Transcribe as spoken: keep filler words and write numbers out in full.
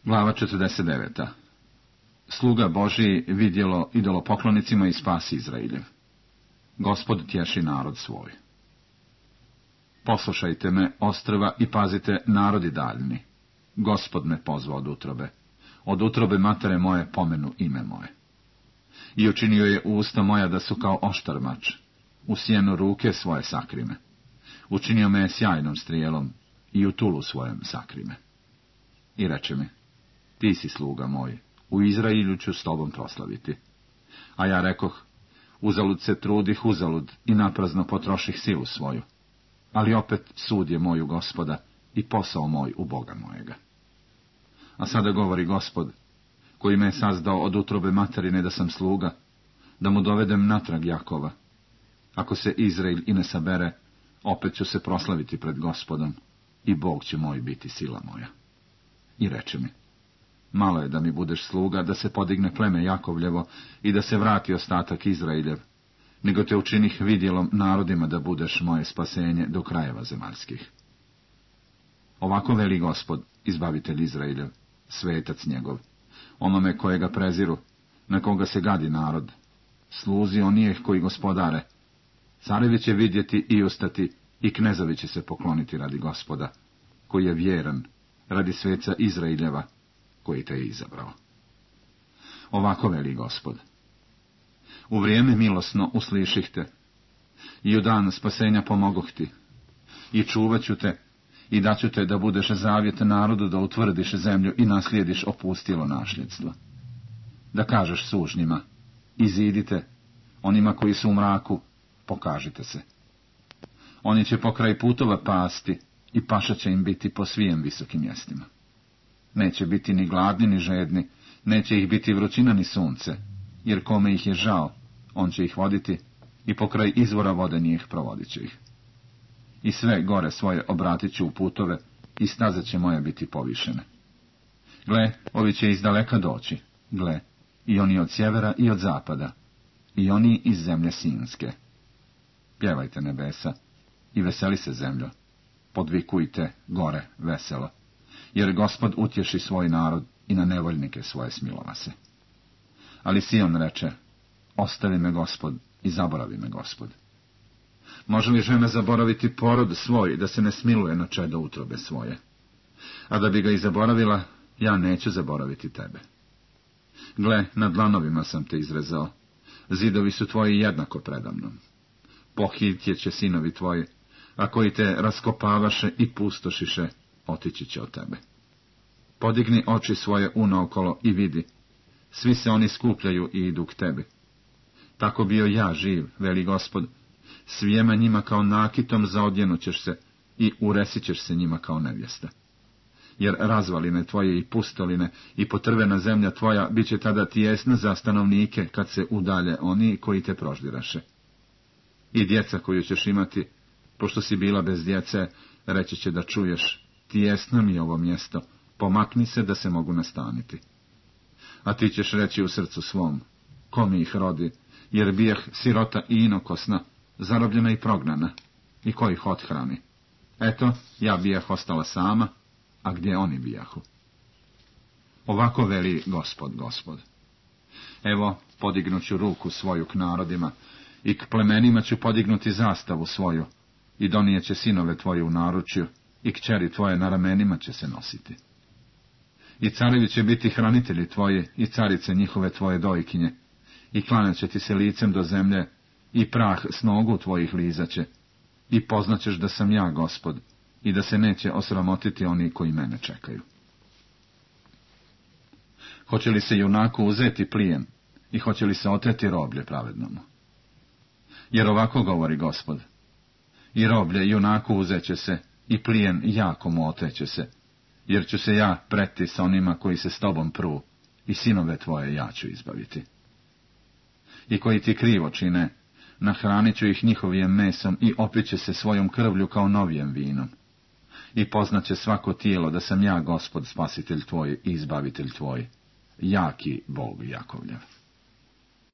Glava četrdeset deveta. Sluga Božji vidjelo idolopoklonicima i spasi Izraeljev. Gospod tješi narod svoj. Poslušajte me, ostrva, i pazite, narodi daljni. Gospod me pozvao od utrobe. Od utrobe matere moje pomenu ime moje. I učinio je usta moja da su kao oštar mač. U sjenu ruke svoje sakrime. Učinio me je sjajnom strijelom i u tulu svojem sakrime. I reče mi, ti si sluga moj, u Izraelju ću s tobom proslaviti. A ja rekoh, uzalud se trudih, uzalud, i naprazno potroših silu svoju. Ali opet sud je moj u Gospoda i posao moj u Boga mojega. A sada govori Gospod, koji me je sazdao od utrobe materine da sam sluga, da mu dovedem natrag Jakova. Ako se Izrael i ne sabere, opet ću se proslaviti pred Gospodom i Bog će moj biti sila moja. I reče mi, malo je da mi budeš sluga, da se podigne pleme Jakovljevo i da se vrati ostatak Izraeljev, nego te učinih vidjelom narodima da budeš moje spasenje do krajeva zemaljskih. Ovako veli Gospod, izbavitelj Izraeljev, svetac njegov, onome kojega preziru, na koga se gadi narod, sluzi onijeh koji gospodare. Carevi će vidjeti i ustati, i knezovi će se pokloniti radi Gospoda, koji je vjeran, radi sveca Izraeljeva, koji te je izabrao. Ovako veli Gospod, u vrijeme milosno usliših te, i u dan spasenja pomogoh ti, i čuvat ću te, i daću te da budeš zavjet narodu, da utvrdiš zemlju i naslijediš opustilo nasljedstvo. Da kažeš sužnjima, izidite, onima koji su u mraku, pokažite se. Oni će pokraj putova pasti, i paša će im biti po svijem visokim mjestima. Neće biti ni gladni ni žedni, neće ih biti vrućina ni sunce, jer kome ih je žao, on će ih voditi, i pokraj izvora vode njih provodit će ih. I sve gore svoje obratit ću u putove, i staze će moje biti povišene. Gle, ovi će iz daleka doći, gle, i oni od sjevera i od zapada, i oni iz zemlje Sinske. Pjevajte nebesa, i veseli se zemljo, podvikujte gore veselo, jer Gospod utješi svoj narod i na nevoljnike svoje smilova se. Ali Sion reče, ostavi me Gospod i zaboravi me Gospod. Može li žena zaboraviti porod svoj, da se ne smiluje na čedo utrobe svoje? A da bi ga i zaboravila, ja neću zaboraviti tebe. Gle, na dlanovima sam te izrezao, zidovi su tvoji jednako predamnom. Pohitje će sinovi tvoji, a koji te raskopavaše i pustošiše, otići će od tebe. Podigni oči svoje unaokolo i vidi, svi se oni skupljaju i idu k tebi. Tako bio ja živ, veli Gospod, svijema njima kao nakitom zaodjenut ćeš se i uresit ćeš se njima kao nevjesta. Jer razvaline tvoje i pustoline i potrvena zemlja tvoja bit će tada tijesna za stanovnike kad se udalje oni koji te proždiraše. I djeca koju ćeš imati, pošto si bila bez djece, reći će da čuješ, tijesno mi je ovo mjesto, pomakni se da se mogu nastaniti. A ti ćeš reći u srcu svom, ko mi ih rodi, jer bijeh sirota i inokosna, zarobljena i prognana, i ko ih othrani. Eto, ja bijeh ostala sama, a gdje oni bijahu? Ovako veli Gospod, Gospod. Evo, podignuću ruku svoju k narodima, i k plemenima ću podignuti zastavu svoju, i donijeće sinove tvoje u naručju, i kćeri tvoje na ramenima će se nositi. I carevi će biti hranitelji tvoji, i carice njihove tvoje dojkinje, i klanjat će ti se licem do zemlje, i prah s nogu tvojih lizaće, i poznaćeš da sam ja Gospod, i da se neće osramotiti oni koji mene čekaju. Hoće li se junaku uzeti plijen, i hoće li se oteti roblje pravednomu? Jer ovako govori Gospod, i roblje junaku uzeće se, i plijen jako mu oteće se, jer ću se ja preti sa onima koji se s tobom pru, i sinove tvoje ja ću izbaviti. I koji ti krivo čine, nahranit ću ih njihovim mesom i opiće se svojom krvlju kao novijem vinom. I poznaće svako tijelo da sam ja Gospod spasitelj tvoj i izbavitelj tvoj, jaki Bog Jakovljev.